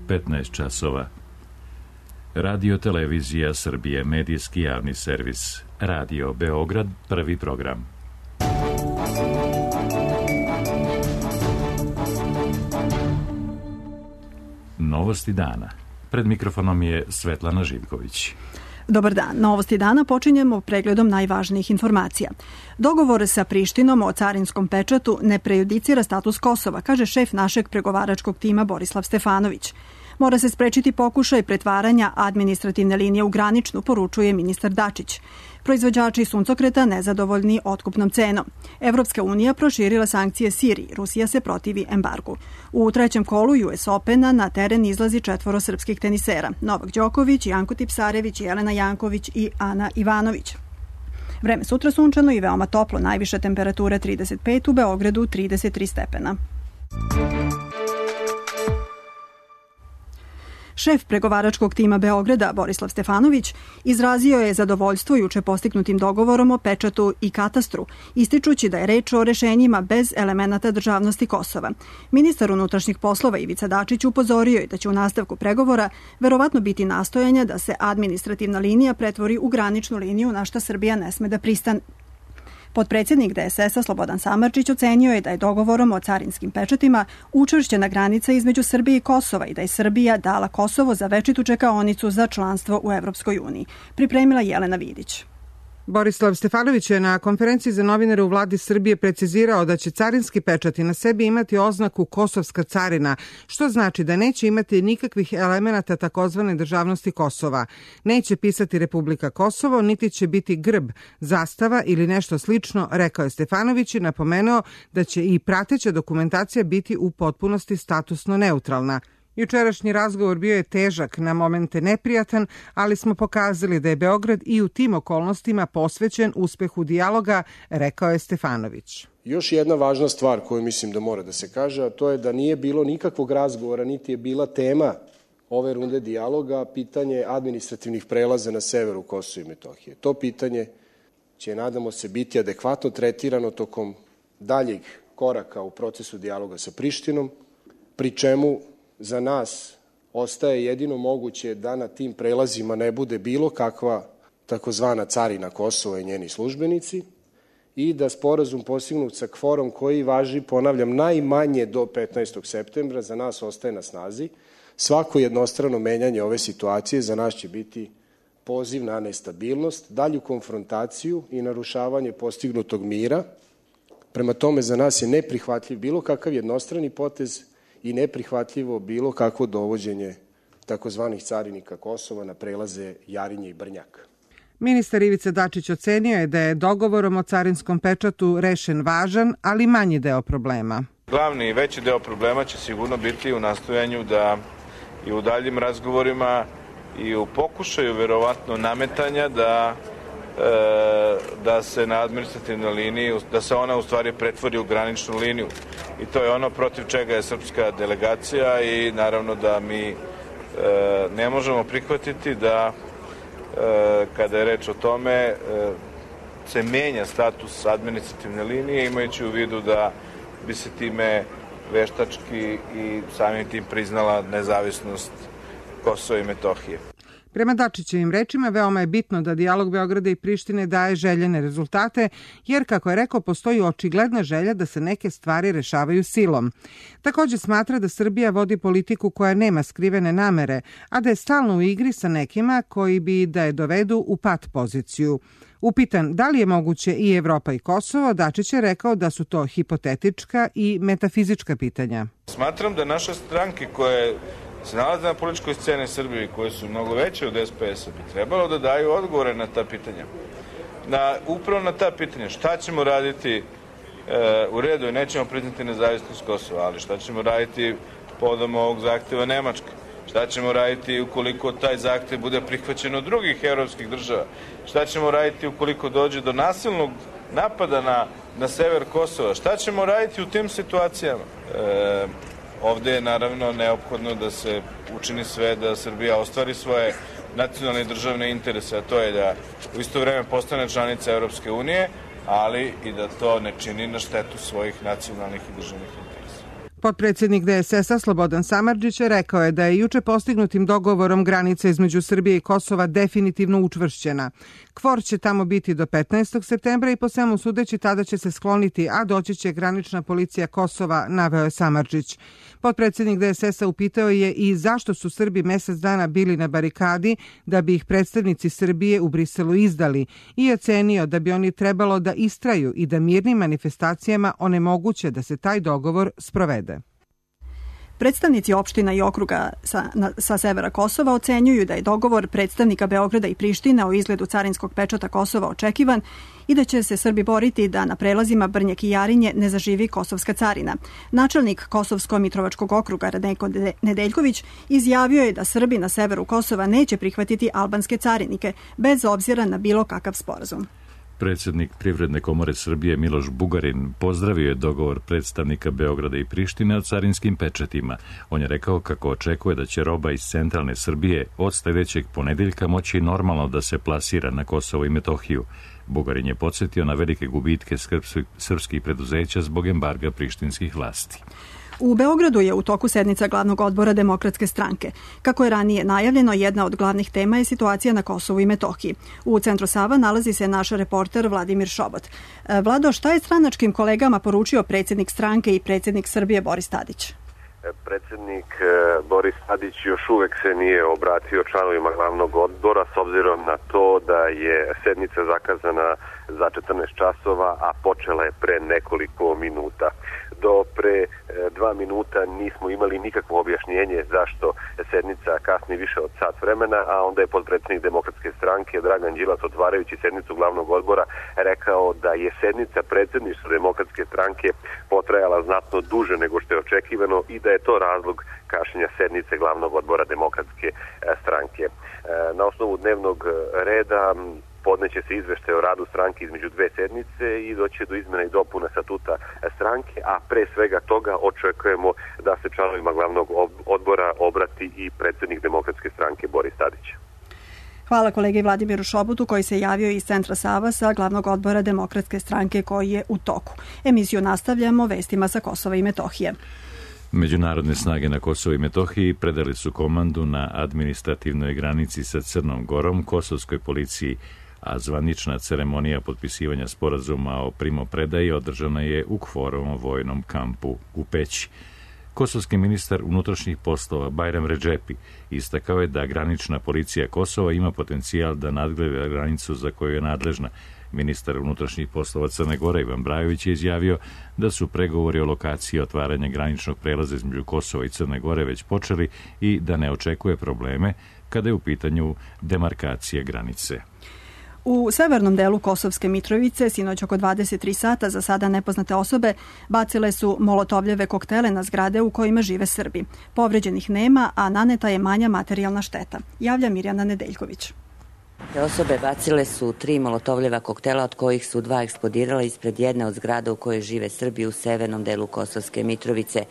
15 časova. Radio Televizija Srbije, medijski javni servis. Radio Beograd, prvi program. Novosti dana. Pred mikrofonom je Svetlana Živković. Dobar dan. Novosti dana počinjemo pregledom najvažnijih informacija. Dogovor sa Prištinom o carinskom pečatu ne prejudicira status Kosova, kaže šef našeg pregovaračkog tima Borislav Stefanović. Mora se sprečiti pokušaj pretvaranja administrativne linije u graničnu, poručuje ministar Dačić. Proizvođači suncokreta nezadovoljni otkupnom cenom. Evropska unija proširila sankcije Siriji, Rusija se protivi embargu. U trećem kolu US Opena na teren izlazi 4 srpskih tenisera: Novak Đoković, Janko Tipsarević, Jelena Janković i Ana Ivanović. Vreme sutra sunčano i veoma toplo, najviša temperatura 35, u Beogradu 33 stepena. Šef pregovaračkog tima Beograda, Borislav Stefanović, izrazio je zadovoljstvo juče postignutim dogovorom o pečatu i katastru, ističući da je reč o rešenjima bez elemenata državnosti Kosova. Ministar unutrašnjih poslova Ivica Dačić upozorio je da će u nastavku pregovora verovatno biti nastojanja da se administrativna linija pretvori u graničnu liniju, na šta Srbija ne sme da pristane. Potpredsjednik DSS-a Slobodan Samardžić ocenio je da je dogovorom o carinskim pečatima učvršćena granica između Srbije i Kosova i da je Srbija dala Kosovo za večitu čekaonicu za članstvo u Evropskoj uniji. Pripremila Jelena Vidić. Borislav Stefanović je na konferenciji za novinare u vladi Srbije precizirao da će carinski pečati na sebi imati oznaku Kosovska carina, što znači da neće imati nikakvih elemenata takozvane državnosti Kosova. Neće pisati Republika Kosovo, niti će biti grb, zastava ili nešto slično, rekao je Stefanović i napomenuo da će i prateća dokumentacija biti u potpunosti statusno neutralna. Jučerašnji razgovor bio je težak, na momente neprijatan, ali smo pokazali da je Beograd i u tim okolnostima posvećen uspehu dijaloga, rekao je Stefanović. Još jedna važna stvar koju mislim da mora da se kaže, a to je da nije bilo nikakvog razgovora, niti je bila tema ove runde dijaloga, pitanje administrativnih prelaza na severu Kosova i Metohije. To pitanje će, nadamo se, biti adekvatno tretirano tokom daljeg koraka u procesu dijaloga sa Prištinom, pri čemu za nas ostaje jedino moguće da na tim prelazima ne bude bilo kakva takozvana carina Kosova i njeni službenici i da sporazum postignut sa kvorom koji važi, ponavljam, najmanje do 15. septembra za nas ostaje na snazi. Svako jednostrano menjanje ove situacije za nas će biti poziv na nestabilnost, dalju konfrontaciju i narušavanje postignutog mira. Prema tome, za nas je neprihvatljiv bilo kakav jednostrani potez i neprihvatljivo bilo kakvo dovođenje takozvanih carinika Kosova na prelaze Jarinje i Brnjak. Ministar Ivica Dačić ocenio je da je dogovorom o carinskom pečatu rešen važan, ali manji deo problema. Glavni i veći deo problema će sigurno biti u nastojanju da i u daljim razgovorima i u pokušaju verovatno nametanja da se na administrativnoj liniji, da se ona u stvari pretvori u graničnu liniju. I to je ono protiv čega je srpska delegacija i naravno da mi ne možemo prihvatiti da kada je reč o tome se menja status administrativne linije, imajući u vidu da bi se time veštački i samim tim priznala nezavisnost Kosova i Metohije. Prema Dačićevim rečima, veoma je bitno da dijalog Beograda i Prištine daje željene rezultate, jer, kako je rekao, postoji očigledna želja da se neke stvari rešavaju silom. Također smatra da Srbija vodi politiku koja nema skrivene namere, a da je stalno u igri sa nekima koji bi da je dovedu u pat poziciju. Upitan da li je moguće i Evropa i Kosovo, Dačić je rekao da su to hipotetička i metafizička pitanja. Smatram da naše stranke koje se nalaze na političkoj sceni Srbije, koje su mnogo veće od SPS-a, bi trebalo da daju odgovore na ta pitanja. Upravo na ta pitanja. Šta ćemo raditi u redu i nećemo priznati nezavisnost Kosova, ali šta ćemo raditi povodom ovog zahteva Nemačke? Šta ćemo raditi ukoliko taj zahtev bude prihvaćen od drugih evropskih država? Šta ćemo raditi ukoliko dođe do nasilnog napada na sever Kosova? Šta ćemo raditi u tim situacijama? Ovde je naravno neophodno da se učini sve da Srbija ostvari svoje nacionalne i državne interese, a to je da u isto vreme postane članica Evropske unije, ali i da to ne čini na štetu svojih nacionalnih i državnih interesa. Potpredsjednik DSS-a Slobodan Samardžić rekao je da je juče postignutim dogovorom granica između Srbije i Kosova definitivno učvršćena. Kvor će tamo biti do 15. septembra i po svemu sudeći tada će se skloniti, a doći će granična policija Kosova, naveo je Samardžić. Potpredsjednik DSS-a upitao je i zašto su Srbi mesec dana bili na barikadi da bi ih predstavnici Srbije u Briselu izdali i ocenio da bi oni trebalo da istraju i da mirnim manifestacijama onemoguće da se taj dogovor sprovede. Predstavnici opština i okruga sa severa Kosova ocenjuju da je dogovor predstavnika Beograda i Prištine o izgledu carinskog pečata Kosova očekivan i da će se Srbi boriti da na prelazima Brnjak i Jarinje ne zaživi kosovska carina. Načelnik Kosovsko-Mitrovačkog okruga Radenko Nedeljković izjavio je da Srbi na severu Kosova neće prihvatiti albanske carinike, bez obzira na bilo kakav sporazum. Predsjednik Privredne komore Srbije Miloš Bugarin pozdravio je dogovor predstavnika Beograda i Prištine o carinskim pečatima. On je rekao kako očekuje da će roba iz centralne Srbije od sljedećeg ponedeljka moći normalno da se plasira na Kosovo i Metohiju. Bugarin je podsjetio na velike gubitke srpskih preduzeća zbog embarga prištinskih vlasti. U Beogradu je u toku sednica glavnog odbora Demokratske stranke. Kako je ranije najavljeno, jedna od glavnih tema je situacija na Kosovu i Metohiji. U centru Sava nalazi se naš reporter Vladimir Šobot. Vlado, šta je stranačkim kolegama poručio predsjednik stranke i predsjednik Srbije Boris Tadić? Predsjednik Boris Tadić još uvek se nije obratio članovima glavnog odbora s obzirom na to da je sednica zakazana za 14 časova, a počela je pre nekoliko minuta. Do pre 2 minuta nismo imali nikakvo objašnjenje zašto sednica kasni više od sat vremena, a onda je potpredsjednik Demokratske stranke Dragan Đilas, otvarajući sednicu glavnog odbora, rekao da je sednica predsjedništva Demokratske stranke potrajala znatno duže nego što je očekivano i da je to razlog kašnjenja sednice glavnog odbora Demokratske stranke. Na osnovu dnevnog reda podneće se izveštaj o radu stranke između dve sednice i doće do izmjena i dopuna statuta stranke, a pre svega toga očekujemo da se članovima glavnog odbora obrati i predsjednik Demokratske stranke Boris Tadić. Hvala kolegi Vladimiru Šobotu koji se javio iz centra Sava sa glavnog odbora Demokratske stranke koji je u toku. Emisiju nastavljamo vestima sa Kosova i Metohije. Međunarodne snage na Kosovo i Metohiji predali su komandu na administrativnoj granici sa Crnom Gorom kosovskoj policiji, a zvanična ceremonija potpisivanja sporazuma o primopredaji održana je u Kvorovom vojnom kampu u Peći. Kosovski ministar unutrašnjih poslova Bajram Redžepi istakao je da granična policija Kosova ima potencijal da nadgleda granicu za koju je nadležna. Ministar unutrašnjih poslova Crne Gore Ivan Brajović je izjavio da su pregovori o lokaciji otvaranja graničnog prelaza između Kosova i Crne Gore već počeli i da ne očekuje probleme kada je u pitanju demarkacija granice. U severnom delu Kosovske Mitrovice sinoć oko 23 sata za sada nepoznate osobe bacile su molotovljeve koktele na zgrade u kojima žive Srbi. Povređenih nema, a naneta je manja materijalna šteta. Javlja Mirjana Nedeljković. Te osobe bacile su 3 molotovljeva koktela, od kojih su 2 eksplodirala ispred jedne od zgrada u kojoj žive Srbi u severnom delu Kosovske Mitrovice.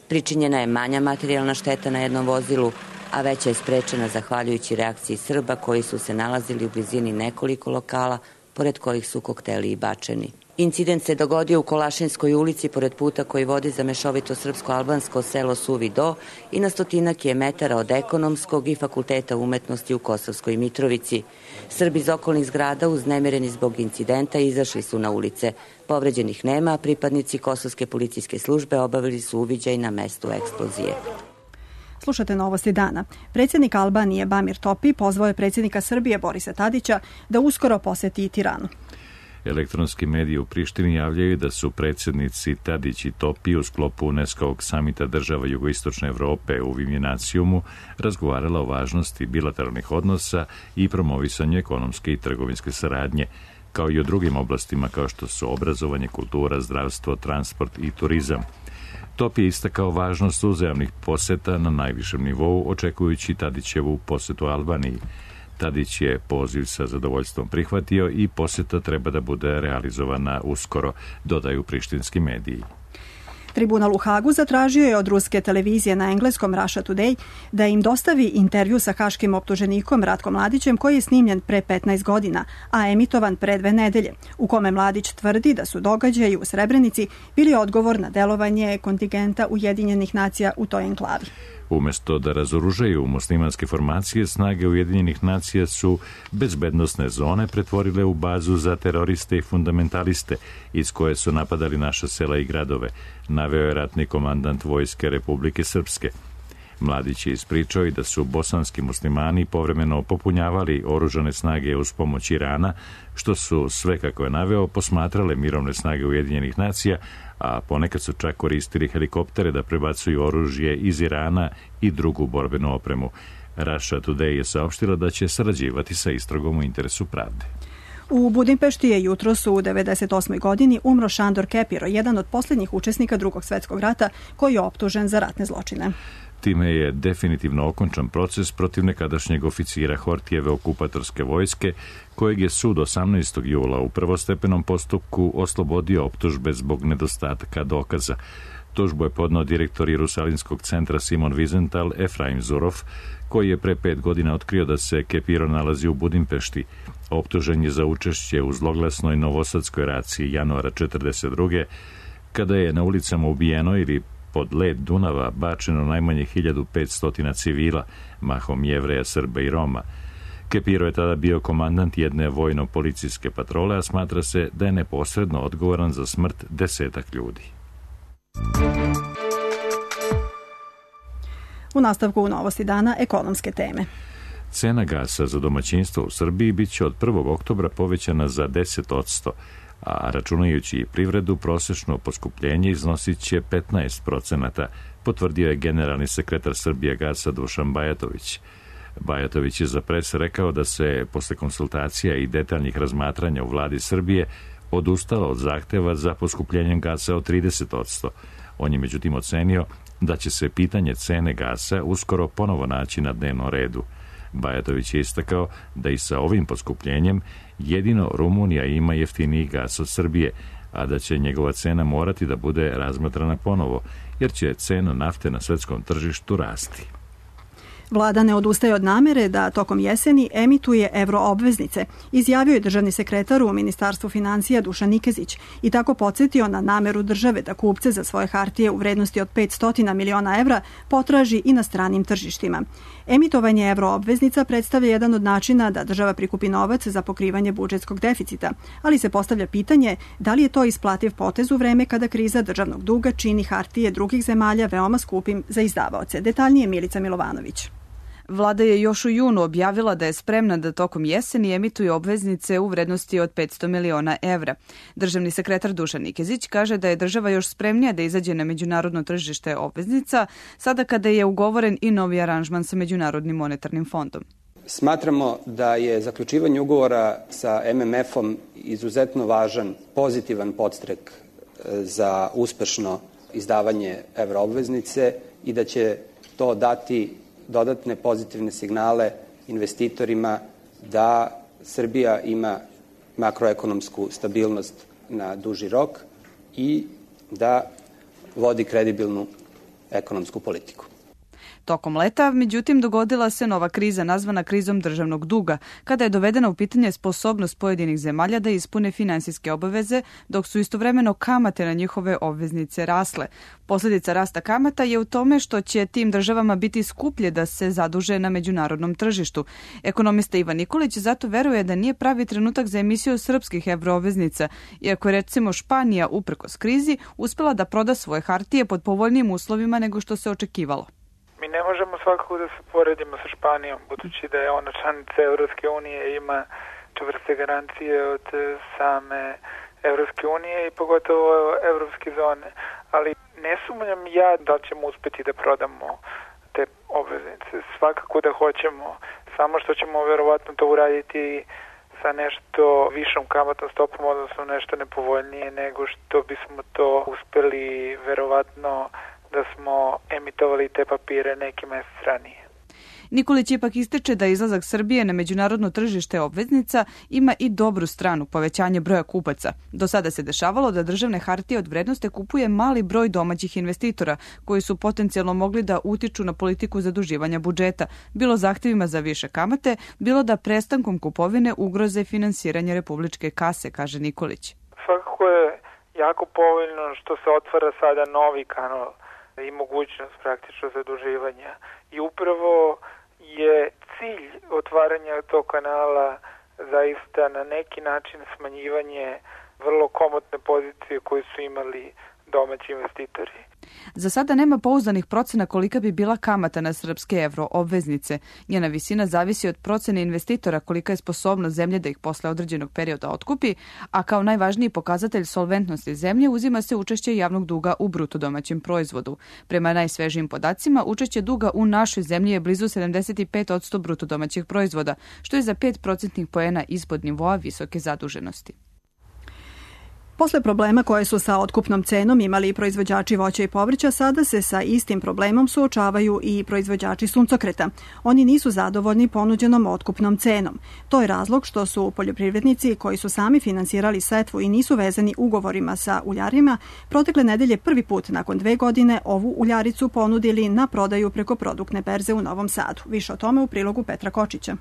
Pričinjena je manja materijalna šteta na jednom vozilu, a veća je sprečena zahvaljujući reakciji Srba koji su se nalazili u blizini nekoliko lokala, pored kojih su kokteli i bačeni. Incident se dogodio u Kolašinskoj ulici pored puta koji vodi za mešovito srpsko-albansko selo Suvi Do i na 100 metara od Ekonomskog i Fakulteta umetnosti u Kosovskoj Mitrovici. Srbi iz okolnih zgrada uznemireni zbog incidenta izašli su na ulice. Povređenih nema, a pripadnici Kosovske policijske službe obavili su uviđaj na mestu eksplozije. Slušate novosti dana. Predsjednik Albanije Bamir Topi pozvao je predsjednika Srbije Borisa Tadića da uskoro poseti Tiranu. Elektronski mediji u Prištini javljaju da su predsjednici Tadić i Topi u sklopu UNESCO-ovog samita država jugoistočne Evrope u Vinjanacijumu razgovarala o važnosti bilateralnih odnosa i promovisanju ekonomske i trgovinske saradnje, kao i o drugim oblastima kao što su obrazovanje, kultura, zdravstvo, transport i turizam. Topi je istakao važnost uzajamnih poseta na najvišem nivou, očekujući Tadićevu posetu Albaniji. Tadić je poziv sa zadovoljstvom prihvatio i poseta treba da bude realizovana uskoro, dodaju prištinski mediji. Tribunal u Hagu zatražio je od ruske televizije na engleskom Russia Today da im dostavi intervju sa haškim optuženikom Ratkom Mladićem koji je snimljen pre 15 godina, a emitovan pre 2 nedelje, u kome Mladić tvrdi da su događaji u Srebrenici bili odgovor na delovanje kontingenta Ujedinjenih nacija u toj enklavi. Umesto da razoružaju muslimanske formacije, snage Ujedinjenih nacija su bezbednosne zone pretvorile u bazu za teroriste i fundamentaliste iz koje su napadali naša sela i gradove, naveo je ratni komandant Vojske Republike Srpske. Mladić je ispričao i da su bosanski muslimani povremeno popunjavali oružane snage uz pomoć Irana, što su sve, kako je naveo, posmatrale mirovne snage Ujedinjenih nacija, a ponekad su čak koristili helikoptere da prebacuju oružje iz Irana i drugu borbenu opremu. Russia Today je saopštila da će sarađivati sa istragom u interesu pravde. U Budimpešti je jutros u 98. godini umro Šandor Kepiro, jedan od posljednjih učesnika Drugog svjetskog rata koji je optužen za ratne zločine. Time je definitivno okončan proces protiv nekadašnjeg oficira Hortijeve okupatorske vojske, kojeg je sud 18. jula u prvostepenom postupku oslobodio optužbe zbog nedostatka dokaza. Tužbu je podneo direktor Jerusalimskog centra Simon Wiesenthal Efraim Zurov, koji je pre 5 godina otkrio da se Kepiro nalazi u Budimpešti. Optužen je za učešće u zloglasnoj novosadskoj raciji januara 1942. kada je na ulicama ubijeno ili pod led Dunava bačeno najmanje 1500 civila, mahom Jevreja, Srba i Roma. Kepiro je tada bio komandant jedne vojno-policijske patrole, a smatra se da je neposredno odgovoran za smrt 10 ljudi. U nastavku Novosti dana ekonomske teme. Cena gasa za domaćinstvo u Srbiji biće od 1. oktobra povećana za 10%, a računajući i privredu, prosečno poskupljenje iznosit će 15%, potvrdio je generalni sekretar Srbijagasa Dušan Bajatović. Bajatović je za pres rekao da se posle konsultacija i detaljnih razmatranja u vladi Srbije odustalo od zahteva za poskupljenjem gasa od 30%. On je međutim ocenio da će se pitanje cene gasa uskoro ponovo naći na dnevnom redu. Bajatović je istakao da i sa ovim poskupljenjem jedino Rumunija ima jeftiniji gas od Srbije, a da će njegova cena morati da bude razmatrana ponovo, jer će cena nafte na svetskom tržištu rasti. Vlada ne odustaje od namere da tokom jeseni emituje euroobveznice, izjavio je državni sekretar u Ministarstvu financija Dušan Nikezić i tako podsjetio na nameru države da kupce za svoje hartije u vrednosti od 500 miliona evra potraži i na stranim tržištima. Emitovanje euroobveznica predstavlja jedan od načina da država prikupi novac za pokrivanje budžetskog deficita, ali se postavlja pitanje da li je to isplativ potez u vreme kada kriza državnog duga čini hartije drugih zemalja veoma skupim za izdavaoce. Detaljnije Milica Milovanović. Vlada je još u junu objavila da je spremna da tokom jeseni emituje obveznice u vrednosti od 500 miliona evra. Državni sekretar Dušan Nikezić kaže da je država još spremnija da izađe na međunarodno tržište obveznica, sada kada je ugovoren i novi aranžman sa Međunarodnim monetarnim fondom. Smatramo da je zaključivanje ugovora sa MMF-om izuzetno važan, pozitivan podstrek za uspešno izdavanje evroobveznice i da će to dati dodatne pozitivne signale investitorima da Srbija ima makroekonomsku stabilnost na duži rok i da vodi kredibilnu ekonomsku politiku. Tokom leta, međutim, dogodila se nova kriza nazvana krizom državnog duga, kada je dovedena u pitanje sposobnost pojedinih zemalja da ispune finansijske obaveze, dok su istovremeno kamate na njihove obveznice rasle. Posljedica rasta kamata je u tome što će tim državama biti skuplje da se zaduže na međunarodnom tržištu. Ekonomista Ivan Nikolić zato veruje da nije pravi trenutak za emisiju srpskih evroobveznica, iako je recimo Španija uprkos krizi uspela da proda svoje hartije pod povoljnijim uslovima nego što se očekivalo. Mi ne možemo svakako da se poredimo sa Španijom, budući da je ona članica Evropske unije i ima čvrste garancije od same Evropske unije i pogotovo evropske zone. Ali ne sumnjam ja da ćemo uspeti da prodamo te obveznice. Svakako da hoćemo, samo što ćemo verovatno to uraditi sa nešto višom kamatnom stopom, odnosno nešto nepovoljnije nego što bismo to uspeli verovatno da smo emitovali te papire neki mesec ranije. Nikolić ipak ističe da izlazak Srbije na međunarodno tržište obveznica ima i dobru stranu, povećanje broja kupaca. Do sada se dešavalo da državne hartije od vrednosti kupuje mali broj domaćih investitora koji su potencijalno mogli da utiču na politiku zaduživanja budžeta, bilo zahtevima za više kamate, bilo da prestankom kupovine ugroze finansiranje republičke kase, kaže Nikolić. Svakako je jako povoljno što se otvara sada novi kanal i mogućnost praktično zaduživanja. I upravo je cilj otvaranja tog kanala zaista na neki način smanjivanje vrlo komotne pozicije koje su imali domaći investitori. Za sada nema pouzdanih procena kolika bi bila kamata na srpske evro obveznice. Njena visina zavisi od procene investitora kolika je sposobnost zemlje da ih posle određenog perioda otkupi, a kao najvažniji pokazatelj solventnosti zemlje uzima se učešće javnog duga u bruto domaćem proizvodu. Prema najsvežijim podacima, učešće duga u našoj zemlji je blizu 75% bruto domaćeg proizvoda, što je za 5% poena ispod nivoa visoke zaduženosti. Posle problema koje su sa otkupnom cenom imali i proizvođači voća i povrća, sada se sa istim problemom suočavaju i proizvođači suncokreta. Oni nisu zadovoljni ponuđenom otkupnom cenom. To je razlog što su poljoprivrednici koji su sami finansirali setvu i nisu vezani ugovorima sa uljarima, protekle nedelje prvi put nakon 2 godine ovu uljaricu ponudili na prodaju preko produktne berze u Novom Sadu. Više o tome u prilogu Petra Kočića.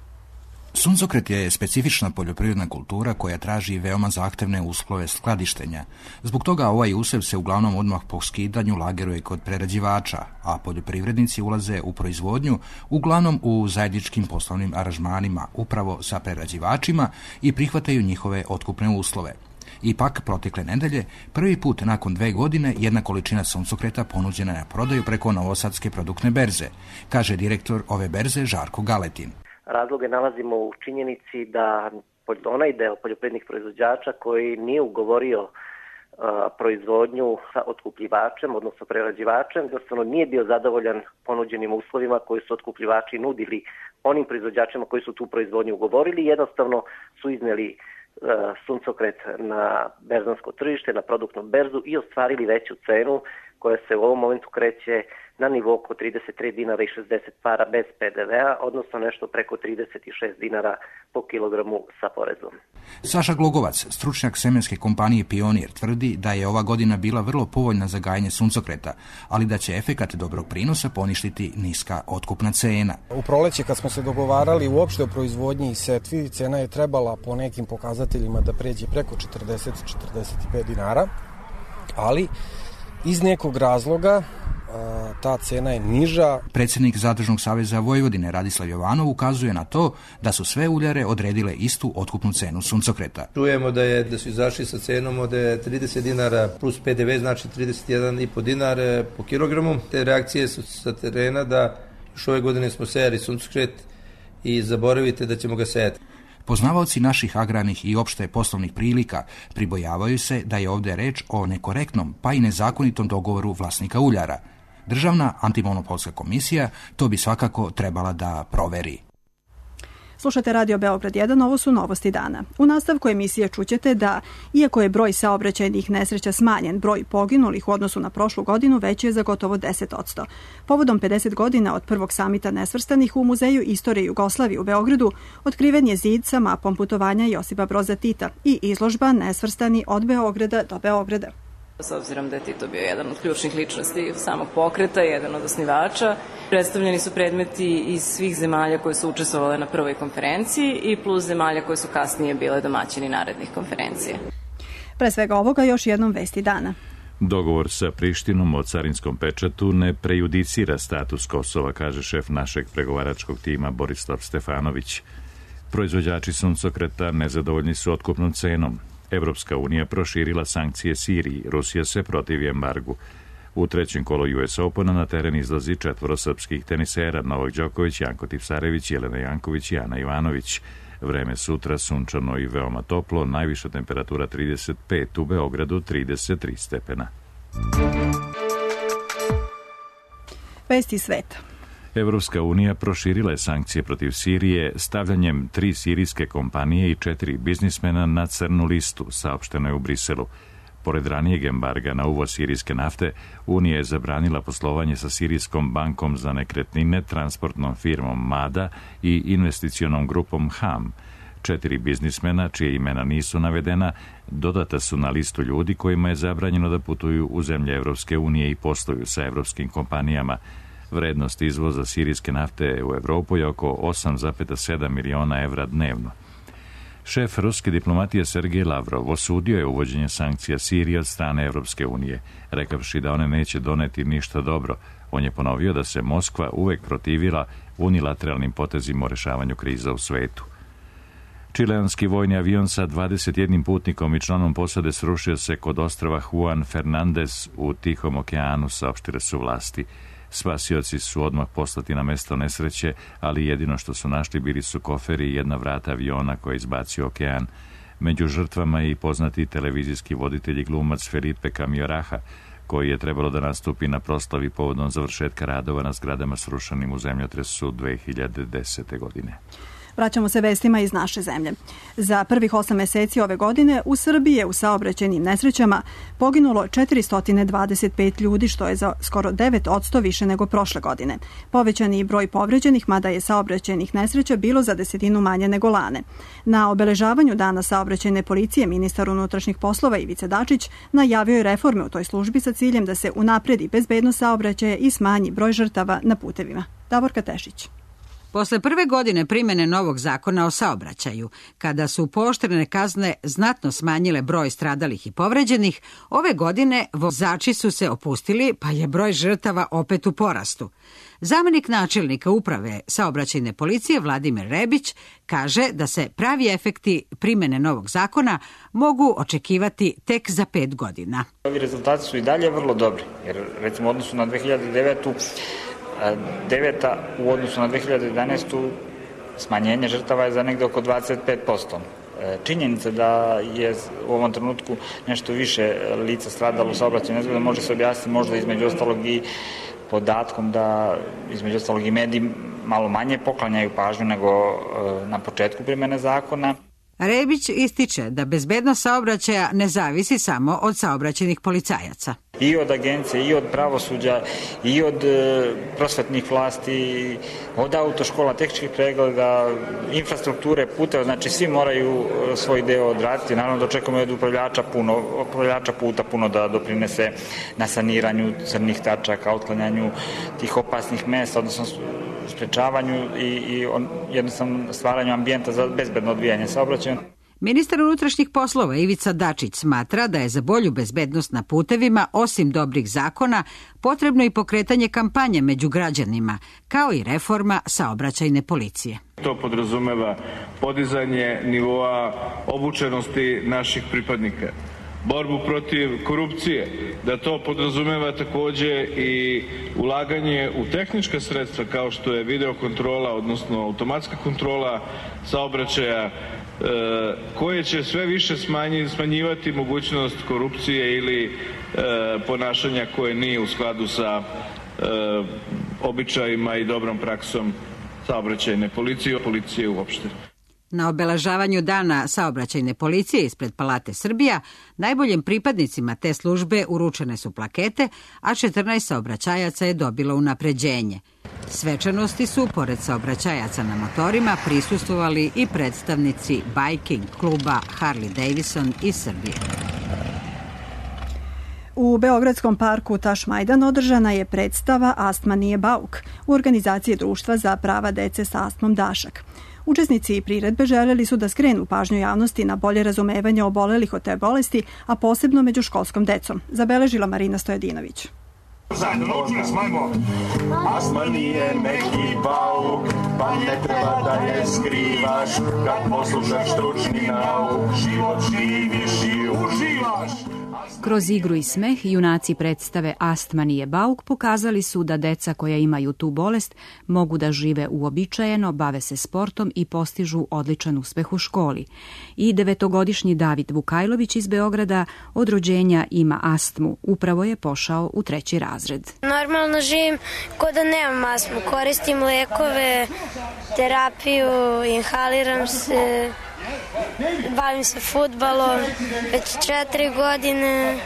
Suncokret je specifična poljoprivredna kultura koja traži veoma zahtevne uslove skladištenja. Zbog toga ovaj usev se uglavnom odmah po skidanju lageruje kod prerađivača, a poljoprivrednici ulaze u proizvodnju uglavnom u zajedničkim poslovnim aranžmanima upravo sa prerađivačima i prihvataju njihove otkupne uslove. Ipak, protekle nedelje, prvi put nakon 2 godine jedna količina suncokreta ponuđena na prodaju preko Novosadske produktne berze, kaže direktor ove berze Žarko Galetin. Razloge nalazimo u činjenici da onaj deo poljoprivrednih proizvođača koji nije ugovorio proizvodnju sa otkupljivačem, odnosno prerađivačem, jednostavno nije bio zadovoljan ponuđenim uslovima koji su otkupljivači nudili onim proizvođačima koji su tu proizvodnju ugovorili, jednostavno su izneli suncokret na berzansko tržište, na produktnu berzu i ostvarili veću cenu koja se u ovom momentu kreće na nivo oko 33 dinara i 60 para bez PDV-a, odnosno nešto preko 36 dinara po kilogramu sa porezom. Saša Glogovac, stručnjak semenske kompanije Pionir, tvrdi da je ova godina bila vrlo povoljna za gajenje suncokreta, ali da će efekat dobrog prinosa poništiti niska otkupna cena. U proleće kad smo se dogovarali uopšte o proizvodnji i setvi, cena je trebala po nekim pokazateljima da pređe preko 40-45 dinara, ali iz nekog razloga ta cena je niža. Predsjednik Zadružnog saveza Vojvodine Radislav Jovanov ukazuje na to da su sve uljare odredile istu otkupnu cenu suncokreta. Čujemo da su izašli sa cenom od 30 dinara plus PDV, znači 31,5 dinar po kilogramu. Te reakcije su sa terena da još ove godine smo sejali suncokret i zaboravite da ćemo ga sejati. Poznavaoci naših agrarnih i opšte poslovnih prilika pribojavaju se da je ovdje reč o nekorektnom pa i nezakonitom dogovoru vlasnika uljara. Državna antimonopolska komisija to bi svakako trebala da proveri. Slušate Radio Beograd 1, ovo su novosti dana. U nastavku emisije čućete da, iako je broj saobraćajnih nesreća smanjen, broj poginulih u odnosu na prošlu godinu veći je za gotovo 10%. Povodom 50 godina od prvog samita nesvrstanih u Muzeju istorije Jugoslavije u Beogradu otkriven je zid sa mapom putovanja Josipa Broza Tita i izložba Nesvrstani od Beograda do Beograda. S obzirom da je Tito bio jedan od ključnih ličnosti samog pokreta, jedan od osnivača, predstavljeni su predmeti iz svih zemalja koje su učestvovale na prvoj konferenciji i plus zemalja koje su kasnije bile domaćini narednih konferencija. Pre svega ovoga još jednom vesti dana. Dogovor sa Prištinom o carinskom pečatu ne prejudicira status Kosova, kaže šef našeg pregovaračkog tima Borislav Stefanović. Proizvođači suncokreta nezadovoljni su otkupnom cenom. Evropska unija proširila sankcije Siriji, Rusija se protivi embargu. U trećem kolu US Opena na teren izlazi 4 srpskih tenisera, Novak Đoković, Janko Tipsarević, Jelena Janković i Ana Ivanović. Vreme sutra sunčano i veoma toplo, najviša temperatura 35, u Beogradu 33 stepena. Vesti sveta. Evropska unija proširila je sankcije protiv Sirije stavljanjem 3 sirijske kompanije i 4 biznismena na crnu listu, saopšteno je u Briselu. Pored ranijeg embarga na uvoz sirijske nafte, Unija je zabranila poslovanje sa Sirijskom bankom za nekretnine, transportnom firmom MADA i investicionom grupom HAM. 4 biznismena, čije imena nisu navedena, dodata su na listu ljudi kojima je zabranjeno da putuju u zemlje Evropske unije i posluju sa evropskim kompanijama. Vrednost izvoza sirijske nafte u Evropu je oko 8,7 miliona evra dnevno. Šef ruske diplomatije Sergej Lavrov osudio je uvođenje sankcija Siriji od strane Evropske unije, rekavši da one neće doneti ništa dobro. On je ponovio da se Moskva uvek protivila unilateralnim potezima o rešavanju kriza u svetu. Čileanski vojni avion sa 21 putnikom i članom posade srušio se kod ostrva Juan Fernandez u Tihom okeanu, saopštile su vlasti. Spasioci su odmah poslati na mesto nesreće, ali jedino što su našli bili su koferi i jedna vrata aviona koja je izbacio okean. Među žrtvama je i poznati televizijski voditelj i glumac Felipe Camioraha, koji je trebalo da nastupi na proslavi povodom završetka radova na zgradama srušenim u zemljotresu 2010. godine. Vraćamo se vestima iz naše zemlje. Za prvih 8 meseci ove godine u Srbiji je u saobraćajnim nesrećama poginulo 425 ljudi, što je za skoro 9% više nego prošle godine. Povećan je broj povređenih, mada je saobraćajnih nesreća bilo za 10 manje nego lane. Na obeležavanju Dana saobraćajne policije ministar unutrašnjih poslova Ivica Dačić najavio je reforme u toj službi sa ciljem da se unapredi bezbednost saobraćaja i smanji broj žrtava na putevima. Davorka Tešić. Posle prve godine primjene novog zakona o saobraćaju, kada su pooštrene kazne znatno smanjile broj stradalih i povređenih, ove godine vozači su se opustili, pa je broj žrtava opet u porastu. Zamenik načelnika uprave saobraćajne policije Vladimir Rebić kaže da se pravi efekti primjene novog zakona mogu očekivati tek za 5 godina. Ovi rezultati su i dalje vrlo dobri, jer recimo u odnosu na 2009. 9. u odnosu na 2011. smanjenje žrtava je za negde oko 25%. Činjenica da je u ovom trenutku nešto više lica stradalo u saobraćajnoj nezgodi može se objasniti možda između ostalog i podatkom da između ostalog i mediji malo manje poklanjaju pažnju nego na početku primjene zakona. Rebić ističe da bezbednost saobraćaja ne zavisi samo od saobraćajnih policajaca. I od agencije, i od pravosuđa, i od prosvetnih vlasti, od autoškola, tehničkih pregleda, infrastrukture, puteva, znači svi moraju svoj deo odraditi. Naravno da očekujemo od upravljača puta puno da doprinese na saniranju crnih tačaka, otklanjanju tih opasnih mesta, odnosno sprečavanju i jednostavno stvaranju ambijenta za bezbedno odvijanje saobraćaja. Ministar unutrašnjih poslova Ivica Dačić smatra da je za bolju bezbednost na putevima, osim dobrih zakona, potrebno i pokretanje kampanje među građanima, kao i reforma saobraćajne policije. To podrazumeva podizanje nivoa obučenosti naših pripadnika, borbu protiv korupcije, da to podrazumeva takođe i ulaganje u tehnička sredstva kao što je videokontrola, odnosno automatska kontrola saobraćaja, koje će sve više smanjivati mogućnost korupcije ili ponašanja koje nije u skladu sa običajima i dobrom praksom saobraćajne policije uopšte. Na obeležavanju Dana saobraćajne policije ispred Palate Srbija najboljim pripadnicima te službe uručene su plakete, a 14 saobraćajaca je dobilo unapređenje. Svečanosti su, pored saobraćajaca na motorima, prisustvovali i predstavnici Biking kluba Harley Davidson iz Srbije. U Beogradskom parku Tašmajdan održana je predstava Astma nije bauk u organizaciji Društva za prava dece sa astmom Dašak. Učesnici priredbe želeli su da skrenu pažnju javnosti na bolje razumevanje obolelih od te bolesti, a posebno među školskom decom, zabeležila Marina Stojadinović. Zajedno naučili smajmo. Astma nije neki bauk, pa ne treba da je skrivaš, kad poslušaš stručni nauk, život živiš i uživaš. Kroz igru i smeh junaci predstave Astma nije bauk pokazali su da deca koja imaju tu bolest mogu da žive uobičajeno, bave se sportom i postižu odličan uspeh u školi. I 9-godišnji David Vukajlović iz Beograda od rođenja ima astmu. Upravo je pošao u 3. razred. Normalno živim ko da nemam astmu. Koristim lekove, terapiju, inhaliram se Bavim se fudbalom već 4 godine.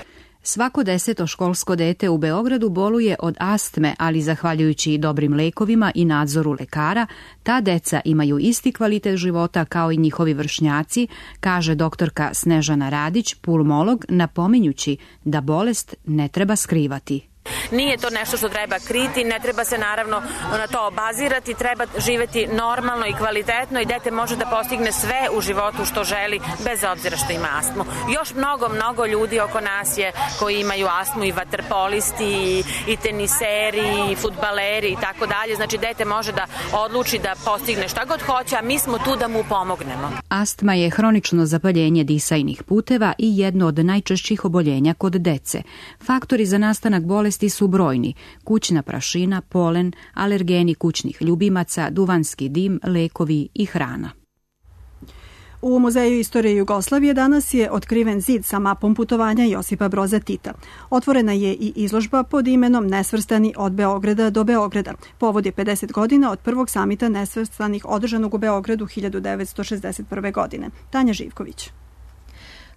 Svako 10. školsko dete u Beogradu boluje od astme, ali zahvaljujući dobrim lekovima i nadzoru lekara, ta deca imaju isti kvalitet života kao i njihovi vršnjaci, kaže doktorka Snežana Radić, pulmolog, napominjući da bolest ne treba skrivati. Nije to nešto što treba kriti, ne treba se naravno na to obazirati, treba živeti normalno i kvalitetno i dete može da postigne sve u životu što želi bez obzira što ima astmu. Još mnogo ljudi oko nas je koji imaju astmu, i vaterpolisti i teniseri i fudbaleri i tako dalje. Znači dete može da odluči da postigne šta god hoće, a mi smo tu da mu pomognemo. Astma je hronično zapaljenje disajnih puteva i jedno od najčešćih oboljenja kod dece. Faktori za nastanak bolesti su brojni: kućna prašina, polen, alergeni kućnih ljubimaca, duvanski dim, lekovi i hrana. U Muzeju istorije Jugoslavije danas je otkriven zid sa mapom putovanja Josipa Broza Tita. Otvorena je i izložba pod imenom Nesvrstani od Beograda do Beograda. Povod je 50 godina od prvog samita nesvrstanih održanog u Beogradu 1961. godine. Tanja Živković.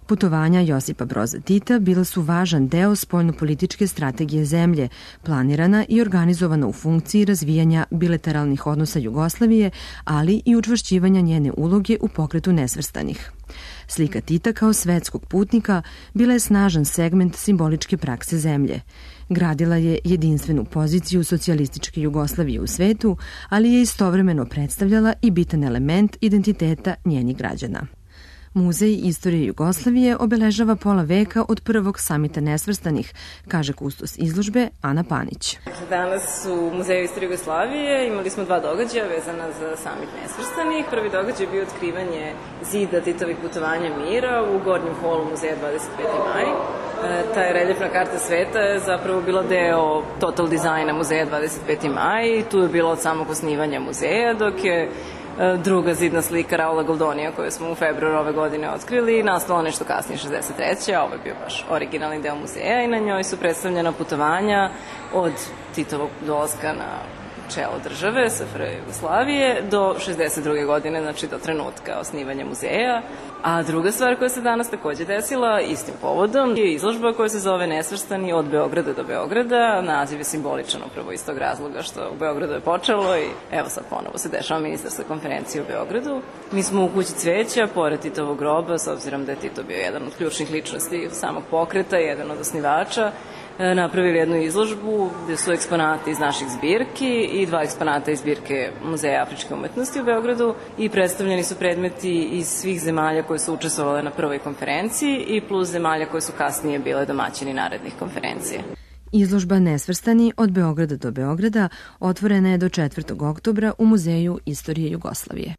Putovanja Josipa Broza Tita bila su važan deo spoljnopolitičke strategije zemlje, planirana i organizovana u funkciji razvijanja bilateralnih odnosa Jugoslavije, ali i učvršćivanja njene uloge u pokretu nesvrstanih. Slika Tita kao svetskog putnika bila je snažan segment simboličke prakse zemlje. Gradila je jedinstvenu poziciju socijalističke Jugoslavije u svetu, ali je istovremeno predstavljala i bitan element identiteta njenih građana. Muzej istorije Jugoslavije obeležava pola veka od prvog samita nesvrstanih, kaže kustos izložbe Ana Panić. Danas u Muzeju istorije Jugoslavije imali smo 2 događaja vezana za samit nesvrstanih. Prvi događaj je bio otkrivanje zida Titovih putovanja mira u gornjem holu Muzeja 25. maj. Ta reljefna karta sveta je zapravo bila deo total dizajna Muzeja 25. maj. Tu je bilo od samog osnivanja muzeja, dok je druga zidna slika Raula Goldonija koju smo u februaru ove godine otkrili, nastala nešto kasnije, 63. a ovo je bio baš originalni deo muzeja i na njoj su predstavljena putovanja od Titovog dolaska na čelo države, SFRJ Jugoslavije, do 62. godine, znači do trenutka osnivanja muzeja. A druga stvar koja se danas takođe desila istim povodom je izložba koja se zove Nesvrstani od Beograda do Beograda. Naziv je simboličan upravo iz tog razloga što u Beogradu je počelo i evo sad ponovo se dešava ministarska konferencija u Beogradu. Mi smo u kući cveća, pored Titovog groba, s obzirom da je Tito bio jedan od ključnih ličnosti samog pokreta, jedan od osnivača, napravili jednu izložbu gde su eksponati iz naših zbirki i 2 eksponata iz zbirke Muzeja afričke umetnosti u Beogradu i predstavljeni su predmeti iz svih zemalja koje su učestvovale na prvoj konferenciji i plus zemalja koje su kasnije bile domaćini narednih konferencija. Izložba Nesvrstani od Beograda do Beograda otvorena je do 4. oktobra u Muzeju istorije Jugoslavije.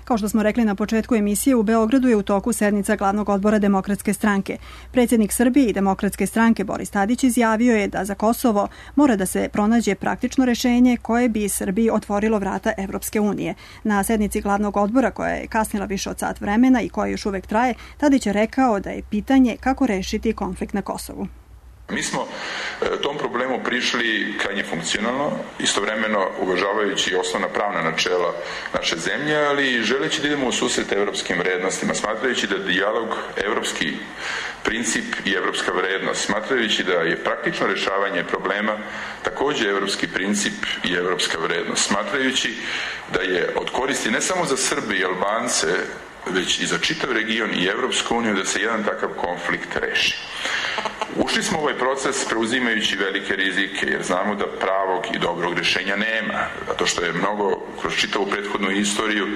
Kao što smo rekli na početku emisije, u Beogradu je u toku sednica glavnog odbora Demokratske stranke. Predsjednik Srbije i Demokratske stranke Boris Tadić izjavio je da za Kosovo mora da se pronađe praktično rešenje koje bi Srbiji otvorilo vrata Evropske unije. Na sednici glavnog odbora, koja je kasnila više od sat vremena i koja još uvek traje, Tadić je rekao da je pitanje kako rešiti konflikt na Kosovu. Mi smo tom problemu prišli krajnje funkcionalno, istovremeno uvažavajući osnovna pravna načela naše zemlje, ali želeći da idemo u susret evropskim vrednostima, smatrajući da dijalog evropski princip i evropska vrednost, smatrajući da je praktično rešavanje problema takođe evropski princip i evropska vrednost, smatrajući da je od koristi ne samo za Srbe i Albance, već i za čitav region i Evropsku uniju da se jedan takav konflikt reši. Ušli smo u ovaj proces preuzimajući velike rizike, jer znamo da pravog i dobrog rešenja nema, zato što je mnogo kroz čitavu prethodnu istoriju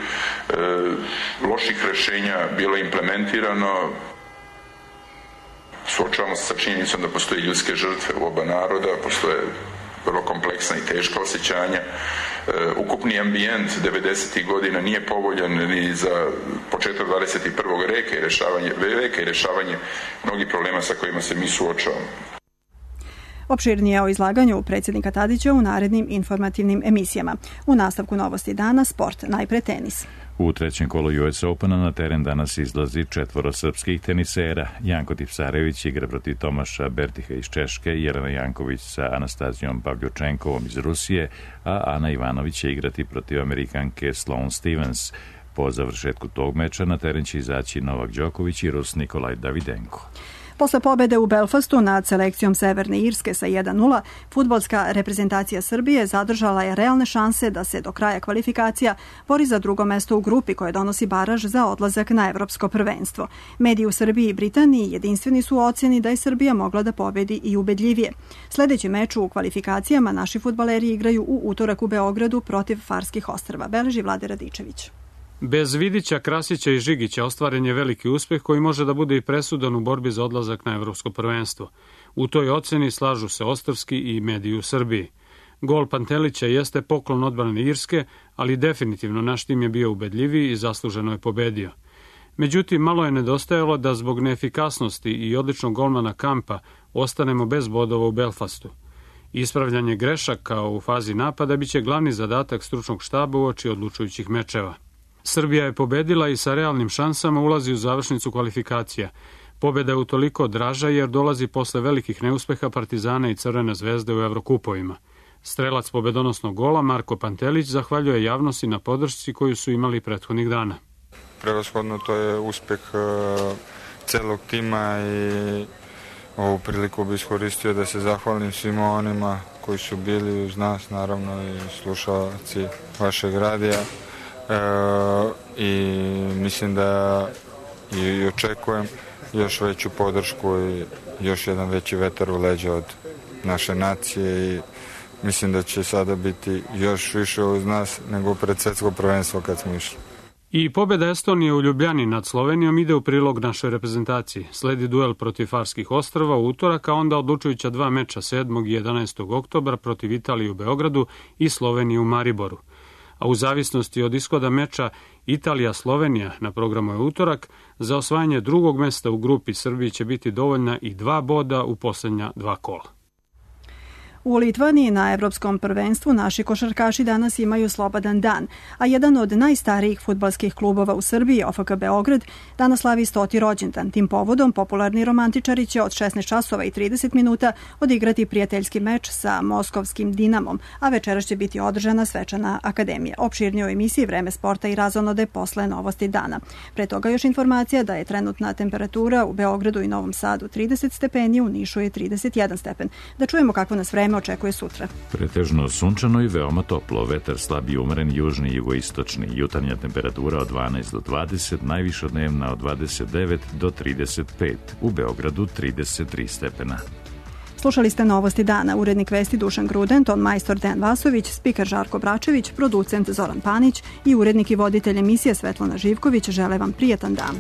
loših rešenja bilo implementirano. Suočavamo se sa činjenicom da postoje ljudske žrtve u oba naroda, postoje vrlo kompleksna i teška osjećanja. Ukupni ambijent 90. godina nije povoljan ni za početak 21. veka i rešavanje mnogih problema sa kojima se mi suočavamo. Opširnije o izlaganju predsjednika Tadića u narednim informativnim emisijama. U nastavku novosti dana sport, najpre tenis. U trećem kolu US Opena na teren danas izlazi 4 srpskih tenisera. Janko Tipsarević igra protiv Tomaša Bertiha iz Češke, Jelena Janković sa Anastazijom Pavljučenkovom iz Rusije, a Ana Ivanović će igrati protiv Amerikanke Sloane Stevens. Po završetku tog meča na teren će izaći Novak Đoković i Rus Nikolaj Davidenko. Posle pobede u Belfastu nad selekcijom Severne Irske sa 1:0, fudbalska reprezentacija Srbije zadržala je realne šanse da se do kraja kvalifikacija bori za drugo mesto u grupi koje donosi baraž za odlazak na evropsko prvenstvo. Mediji u Srbiji i Britaniji jedinstveni su u ocjeni da je Srbija mogla da pobedi i ubedljivije. Sledeći meč u kvalifikacijama naši fudbaleri igraju u utorak u Beogradu protiv Farskih ostrva, beleži Vlade Radičević. Bez Vidića, Krasića i Žigića ostvaren je veliki uspeh koji može da bude i presudan u borbi za odlazak na evropsko prvenstvo. U toj oceni slažu se Ostrvski i mediji u Srbiji. Gol Pantelića jeste poklon odbrane Irske, ali definitivno naš tim je bio ubedljiviji i zasluženo je pobedio. Međutim, malo je nedostajalo da zbog neefikasnosti i odličnog golmana Kampa ostanemo bez bodova u Belfastu. Ispravljanje grešaka u fazi napada biće glavni zadatak stručnog štaba uoči odlučujućih mečeva. Srbija je pobedila i sa realnim šansama ulazi u završnicu kvalifikacija. Pobjeda je utoliko draža jer dolazi posle velikih neuspeha Partizana i Crvene zvezde u Evrokupovima. Strelac pobedonosnog gola Marko Pantelić zahvaljuje javnosti na podršci koju su imali prethodnih dana. Prevashodno to je uspeh celog tima i ovu priliku bi iskoristio da se zahvalim svima onima koji su bili uz nas, naravno i slušalci vašeg radija. I mislim da i očekujem još veću podršku i još jedan veći vetar u leđa od naše nacije i mislim da će sada biti još više uz nas nego pred svetsko prvenstvo kad smo išli. I pobjeda Estonije u Ljubljani nad Slovenijom ide u prilog našoj reprezentaciji. Sledi duel protiv Farskih ostrva u utorak, a onda odlučujuća 2 meča 7. i 11. oktobra protiv Italije u Beogradu i Slovenije u Mariboru. A u zavisnosti od ishoda meča Italija-Slovenija na programu je utorak, za osvajanje drugog mesta u grupi Srbiji će biti dovoljna i 2 boda u posljednja 2 kola. U Litvaniji na Evropskom prvenstvu naši košarkaši danas imaju slobodan dan, a jedan od najstarijih fudbalskih klubova u Srbiji, OFK Beograd, danas slavi 100. rođendan. Tim povodom popularni romantičari će od 16 časova i 30 minuta odigrati prijateljski meč sa moskovskim Dinamom, a večeras će biti održana svečana akademija. Opširnije u emisiji Vreme sporta i razonode posle novosti dana. Pre toga još informacija da je trenutna temperatura u Beogradu i Novom Sadu 30 stepeni, u Nišu je 31 stepen. Da čujemo kakvo nas vreme očekuje sutra. Pretežno sunčano i veoma toplo, vetar slab i umeren južni i jugoistočni, jutarnja temperatura od 12 do 20, najviša dnevna od 29 do 35, u Beogradu 33 stepena. Slušali ste novosti dana, urednik vesti Dušan Gruden, ton majstor Dejan Vasović, spiker Žarko Bračević, producent Zoran Panić i urednik i voditelj emisije Svetlana Živković žele vam prijetan dan.